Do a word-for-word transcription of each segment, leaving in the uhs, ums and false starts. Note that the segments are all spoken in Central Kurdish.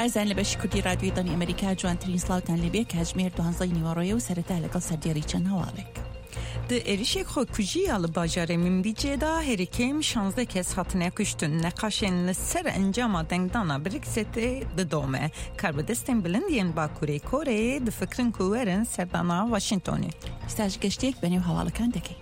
ئازان لە بەشی کوردی رادیۆی دەنگی ئەمریکا جوانترین سڵاوتان لێبێ کاتژمێر دوانزەی نیوەڕۆیە و سەرەتا لەگەڵ سەردێڕی چەند هەواڵێک. Di êrişek xwekujî ya li bajarê Minbicê de herî kêm şanzdeh kes hatine kuştin. Neqaşên li ser encama dengdana Brexitê didome. Karbidestên bilind yên Bakurê Koreyê difikirin ku werin serdana Washingtonê. ئێستاش گەشتێک بەنێو هەواڵەکان دەکەین.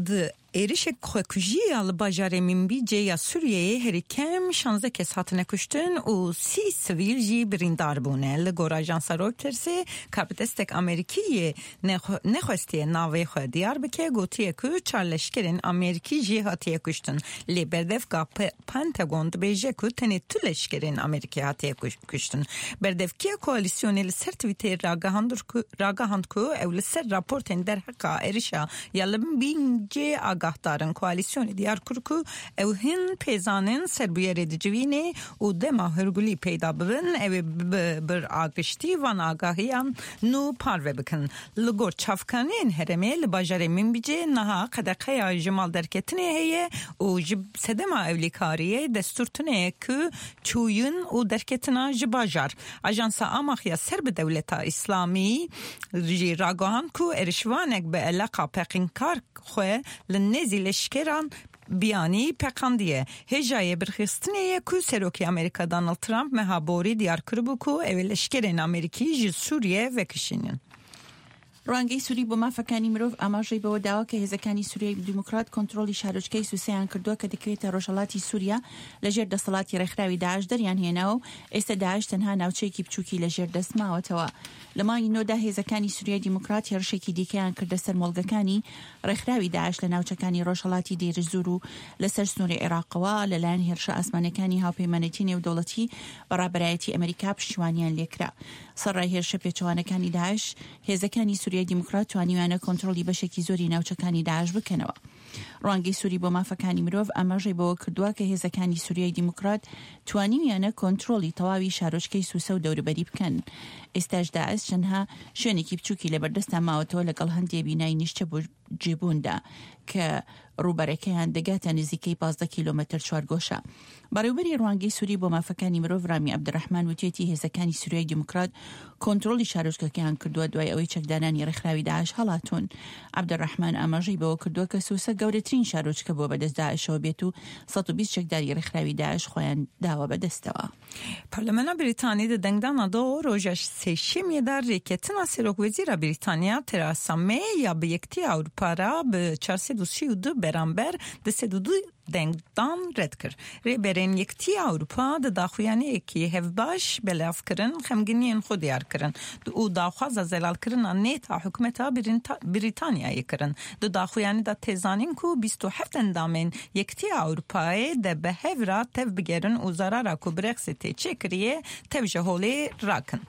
Di êrişek xwekujî ya li bajarê Minbicê ya Sûriyeyê herî kêm şanzdeh kes hatine kuştin û sî sivîl jî birîndar bûne. Li gor ajansa Reutersê karbidestek Amerîkî yê nexwestiye navê xwe diyar bike gotiye ku çar leşkerên Amerîkî jî hatiye kuştin. Lê berdevka Pentagon dibêje ku tenê tu leşkerên Amerîkî hatiye kuştin. Berdevkiya koalîsyonê li ser Twitterê ragihand ku ew li ser raportên derheqa êrişa ya li Minbicê agahdarin. Koalîsyonê diyar kir ku ew hin pêzanên ser bûyerê dicivînê û dema hûrgulî peyda bibin ew ê bi bir agiştî van agahiyan nû parve bikin. Li gor çavkaniyên herêmê li bajarê Minbicê niha qedeqeya ji mal derketinê heye û ji sedema ewlekariyê destûr tune ye ku çûyîn û derketina ji bajar. Ajansa Amaq ya ser bi dewleta İslamî jî ragihand ku êrişvanek bi eleqa peqinkar xwe li nêzî leşkeran biyanî peqandiye. Hêjayê birxistinê ye ku Serokê Amerîka Donald Trump meha borî diyar kiribû ku ew ê leşkerên Amerîkî ji Sûriye vekişînin. ڕوانگەی سووری بۆ مافەکانی مرۆڤ ئاماژەی بەوە داوە کە هێزەکانی سووریای دیموکرات کۆنترۆڵی شارۆچکەی سوسەیان کردووە کە دەکەوێتە ڕۆژهەڵاتی سووریا لەژێر دەسەڵاتی ڕێکخراوی داعش دەریان هێناوە و ئێستا داعش تەنها ناوچەیەکی بچووکی لەژێر دەست ماوەتەوە. لە مانگی نۆدا هێزەکانی سووریای دیموکرات هێرشێکی دیکەیان کردە سەر مۆڵگەکانی ڕێکخراوی داعش لە ناوچەکانی ڕۆژهەڵاتی دێرزور و لەسەر سنووری عێراقەوە لەلایەن هێرشە ئاسمانەکانی هاوپەیمانێتی نێودەوڵەتی بە ڕابەرایەتی ئەمریکا پشتیوانیان لێکرا. سەرڕای هێرشە پێچەوانەکانی داعش هێزەکانی سووریای دیموکرات توانیویانە کۆنترۆڵی بەشێکی زۆری ناوچەکانی داعش بکەنەوە. ڕوانگەی سووری بۆ مافەکانی مرۆڤ ئاماژەی بەوە کردووە کە هێزەکانی سووریای دیموکرات توانیویانە کۆنترۆڵی تەواوی شارۆچکەی سوسە و دەوروبەری بکەن. ئێستاش داعش چەندها شوێنێکی بچووکی لەبەردەستا ماوەتەوە لەگەڵ هەندێ بینای نیشتە جێبووندا کە ڕووبەرەکەیان دەگاتە نزیکەی پازدە کیلۆمەتر چوارگۆشە. بەڕێوبەری ڕوانگەی سووری بۆ مافەکانی مرۆڤ ڕامی عەبدولڕەحمان وتیەتی هێزەکانی سووریای دیموکرات کۆنترۆڵی شارۆچکەکەیان کردووە دوای ئەوەی چەکدارانی ڕێکخراوی داعش هەڵاتوون. عەبدولڕەحمان ئاماژەی بەوە کردووە کە سوسە گەورەترین شارۆچکە بووە بەدەست داعشەوە بێت و سەد و بیست چەکداری ڕێکخراوی داعش خۆیان داوە بەدەستەوە. Parlamena Brîtanî di dengdana do roja sêşemiyê de rêketina Serokwezîra Brîtanya Theresa May ya bi Yekîtiya Ewropa re bi çar sed û sî û du beramber du sed û du dengdan red kir. Rêberên Yekîtiya Ewropa di daxuyaniyekî hevbaş belav kirin, xemginiyên xwe diyar kirin û daxwaza zelalkirina nêta hikûmeta Brîtanyayê kirin. Di daxuyanî de tê zanîn ku bîst û heft endamên Yekîtiya Ewropayê de bi hev re tev bigerin û zarara ku Brexitê çêkiriye tev ji holê rakin.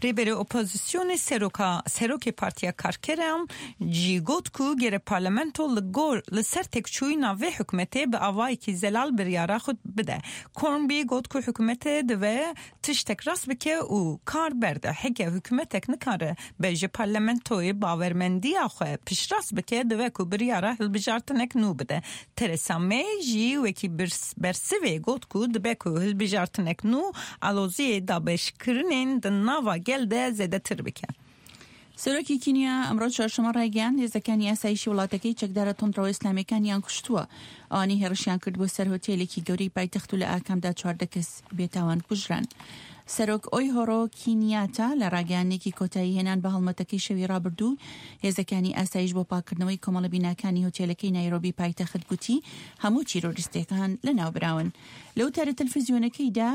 Rêberê opozisyonê seroka Serokê Partiya Karkeran jî got ku gere parlamento li gor li ser têkçûyîna vê hikûmetê bi awayekî zelal biryara xwe bide. Corbyn got ku hikûmetê dive tiştek rast bike û kar berde. Heke hikûmetek nikare be ji parlamentoyê bawermendiya xwe piştrast bike dive ku biryara hilbijartinek nû bide. Theresa May jî wekî bersivê got ku dibe ku hilbijartinek nû aloziyê dabeşkirinên di nava gel de zêdetir bike. سەرۆکی کینیا ئەمڕۆ چوارشەممە ڕایگەیاند هێزەکانی ئاسایشی وڵاتەکەی چەکدارە توندڕەوە ئیسلامیەکانیان کوشتووە. ئەوانەی هێرشیان کرد بۆ سەر هۆتێلێکی گەورەی پایتەخت و لە ئاکامدا چواردە کەس بێتاوان کوژران. سەرۆک ئۆیهۆرۆ کینیاتا لە ڕاگەیاندنێکی کۆتایی هێنان بە هەڵمەتەکەی شەوی ڕابردوو هێزەکانی ئاسایش بۆ پاکردنەوەی کۆمەڵە بیناکانی هۆتێلەکەی نایرۆبی پایتەخت گوتی هەموو تیرۆریستەکان لەناوبراون. لە وتارە تەلەڤیزیۆنەکەیدا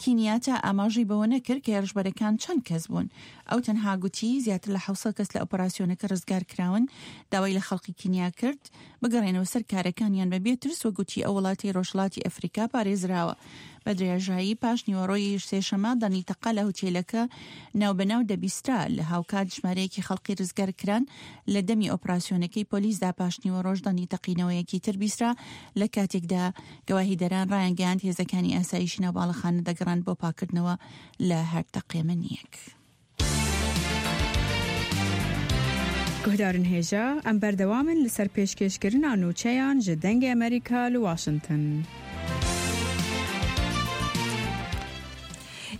کینیاتا ئاماژەی بەوە نەکرد کە هێرشبەرەکان چەند کەس بوون. ئەو تەنها گوتی زیاتر لە حەوت سەد کەس لە ئۆپەراسیۆنەکە ڕزگار کراون. داوای لە خەڵکی کینیا کرد بگەڕێنەوە سەر کارەکانیان بەبێ ترس و گوتی ئەو وڵاتی ڕۆژهەڵاتی ئەفریکا پارێزراوە. بە درێژایی پاش نیوەڕۆی سێشەمە دەنگی تەقە لە هوتێلەکە ناوبەناو دەبیسترا. لە هاوکات ژمارەیەکی خەڵکی ڕزگار کران لە دەمی ئۆپەراسیۆنەکەی پۆلیسدا پاش نیوەڕۆژ دەنگی تەقینەوەیەکی تر بیسترا لە کاتێکدا گەواهیدەران ڕایانگەیاند هێزەکانی ئاسایشی ناو باڵەخانە دەگەڕان بۆ پاکردنەوە لە هەر تەقێمەنیەک. Guhdarên hêja em berdewam in li ser pêşkêşkirina nûçeyan ji Dengê Amerîka li Washington.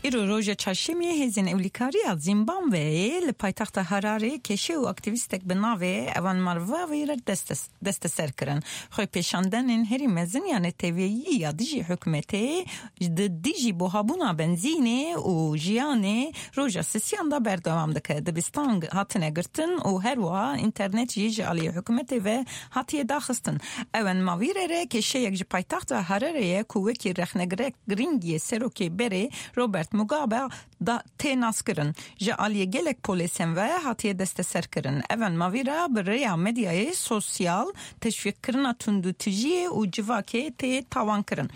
Îro roja çarşemiyê hêzên ewlîkariya Zimbabweyê li paytexta Harare keşe û aktîvîstek bi navê Evan Marvavê re desteser kirin. Xwepêşandanên herî mezin ya neteweyî ya dijî hikûmetê di dijî buhabûna benzînê û jiyanê roja sisiyan da berdewam dike. Dibistan hatine girtin û her wiha înternet jî ji aliyê hikûmetê ve hatiye daxistin. Evan Mavîre re keşeyek ji paytexta Harareyê ku wekî rexnegirek girîngiyê serokê berê Robert Mugabe da tê naskirin. Ji aliyê gelek polîsên ve hatiye desteserkirin. Evan Mavîra bi rêya medyayê sosyal teşwîqkirina tundûtijiyê û civakê tê tawankirin.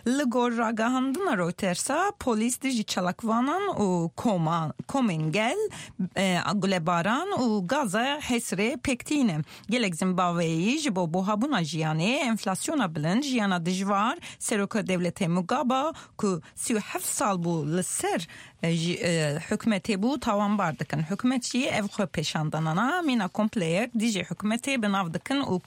Li gor ragihandina Reuters'a polîs dijî çalakvanan û koma, komên gel e, gulebaran û gaza hesrê pêk tîne. Gelek Zimbabweyî ji bo buhabûna jiyanê, enflasyona bilind, jiyana dijwar, seroka dewletê Mugabe ku sî û heft sal bû li ser hikûmetê bû tawanbar dikin. Hikûmet jî ev xwepêşandanana mîna kompleyek dijî hikûmetê bi nav dikin û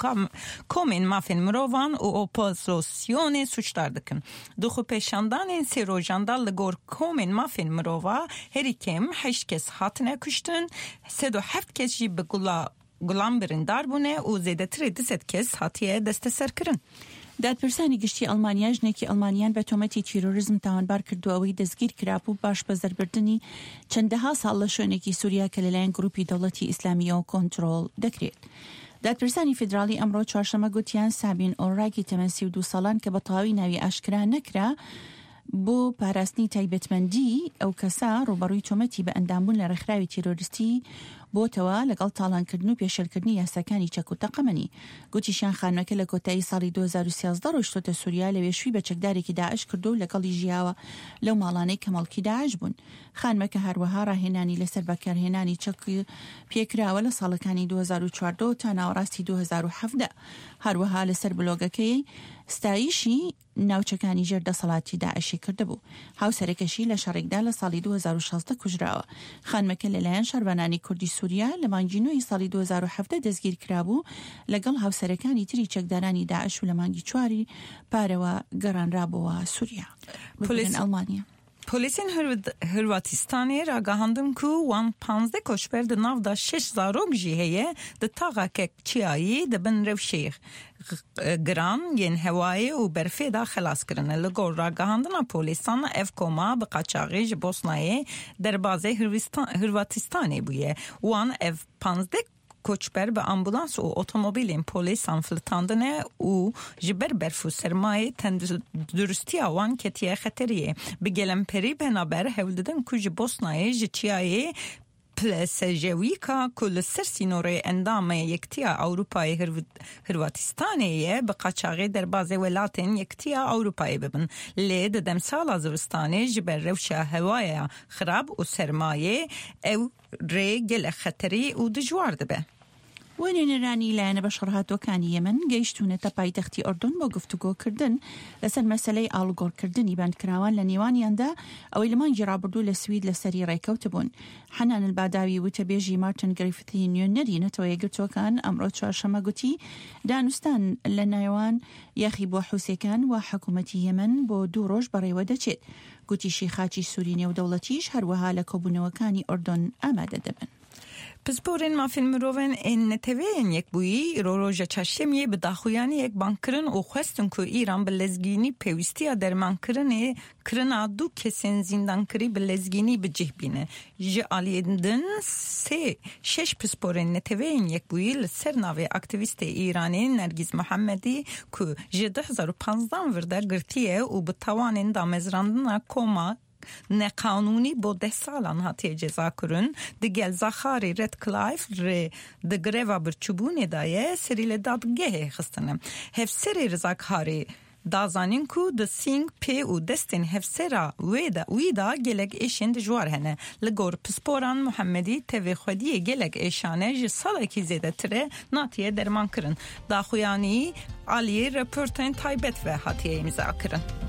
komên mafên mirovan û opozisyonê suçdar dikin. Di xwepêşandanên sê rojan da li gor komên mafên mirova herî kêm heşt kes hatine kuştin, sed û heft kes jî bi gula gulan birîndar bûne û zêdetirê du sed kes hatiye desteserkirin. دادپرسانی گشتی ئەڵمانیا ژنێکی ئەڵمانیان بە تۆمەتی تیرۆریزم تاوانبار کردو ئەوەی دەستگیر کرابوو باش بە زەربردنی چەندەها ساڵ لە شوێنێکی سووریا کە لەلایەن گروپی دەوڵەتی ئیسلامیەوە کۆنترۆڵ دەکرێت. دادپرسانی فیدراڵی ئەمڕۆ چوارشەممە گوتیان سابین ئۆڕاکی تەمەن سی و دوو ساڵان کە بە تەواوی ناوی ئاشکرا نەکرا بۆ پاراستنی تایبەتمەندی ئەو کەسە ڕووبەڕووی تۆمەتی بە ئەندامبوون لە ڕێکخراوی تیرۆریستی بۆتەوە لەگەڵ تاڵانکردن و پێشێلکردنی یاساکانی چەک و تەقەمەنی. گوتیشیان خانمەکە لە کۆتایی ساڵی دوو هەزار و سیازدە ڕۆیشتۆتە سووریا، لەوێ شووی بە چەکدارێکی داعش کردو و لەگەڵی ژیاوە لەو ماڵانەی کە مەڵکی داعش بوون. خانمەکە هەروەها ڕاهێنانی لەسەر بەکارهێنانی چەک پێکراوە لە ساڵەکانی دوو هەزار و چواردە تا ناوەڕاستی دوو هەزار و حەڤدە. هەروەها لەسەر بلۆگەکەی ستایشی ناوچەکانی ژێر دەسەڵاتی داعشی کردبوو. هاوسەرەکەشی لە شەڕێکدا لە ساڵی دوو هەزار و شازدە کوژراوە. خانمەکە لەلایەن شەڕڤانانی کوردی سووریا لە مانگی نۆی ساڵی دوو هەزار و حەڤدە دەستگیر کرابوو لەگەڵ هاوسەرەکانی تری چەکدارانی داعش و لە مانگی چواری پارەوە گەڕانرابووە سووریا. پۆلیس ئەڵمانیا Polîsên Hırvatistanê ragihandin ku wan panzdeh koçber di nav da şeş zarok jî heye di taxeke çiyayî di bin rewşê giran yên hewayê û berfê da xelas kirine. Li gor ragihandina polîsan ev koma bi qaçaxê ji Bosnayê derbazê Hırvatistanê bûye. Wan ev panzdeh koçber bi ambulans û otomobîlên polîsan filitandine û ji ber berf û sermayê tenduristiya wan ketiye xeteriyê. Bi gelemperî penaber hewl didin ku ji Bosnayê ji çiyayê Plesejewîka ku li ser sînorê endamê Yekitiya Ewropayê Hırvatistanê ye bi qaçaxê derbazê welatên Yekitiya Ewropayê bibin. Lê di demsala zivistanê ji ber rewşa hewaya xirab û sermayê ew rê gelek xeterî û dijwar dibe. وێنێنەرانی لایەنە بەشەڕهاتووەکانی یەمەن گەیشتوونەتە پایتەختی ئۆردۆن بۆ گفتوگۆکردن لەسەر مەسەلەی ئاڵوگۆڕکردنی بەندکراوان لە نێوانیاندا ئەوەی لە مانگی ڕابردوو لە سوید لەسەری ڕێکەوتبوون. حەنان الباداوی وتەبێژی مارتن گریفتی نوێنەری نەتەوە یەکگرتووەکان ئەمڕۆ چوارشەممە گوتی دانوستان لە نێوان یاخیبووە حوسیەکان و حکوومەتی یەمەن بۆ دوو ڕۆژ بەڕێوە دەچێت. گوتیشی خاچی سووری نێودەوڵەتیش هەروەها لە کۆبوونەوەکانی ئۆردۆن ئامادە دەبن. Pisporên mafên mirovên ên neteweyên yekbûyî îro roja çarşemiyê bi daxuyaniyek bang kirin û xwestin ku Îran bi lezgînî pêwîstiya dermankirinê kirina du kesên zîndankirî bi lezgînî bi cih bîne. Ji aliyê din sê şeş pisporên neteweyên yekbûyî li ser navê aktivîstê Îranê Nergiz Muhammedî ku ji du hezar û panzdan vir de girtiye û bi tawanên damezrandina koma neqanûnî bo deh salan hatiye cezakirin digel Zaxarê Redcliffe rê di greva birçûbûnê de ye serî li dadgehê xistine. Hevserê Rizakarê da zanîn ku di sîng pê û destên hevsera wê de wî da gelek êşên dijwar hene. Li gor pisporan Muhammedî tevê xwediyê gelek êşane ji salekî zêdetir e natiye dermankirin. Daxuyanî aliyê raportên taybet ve hatiye îmzakirin.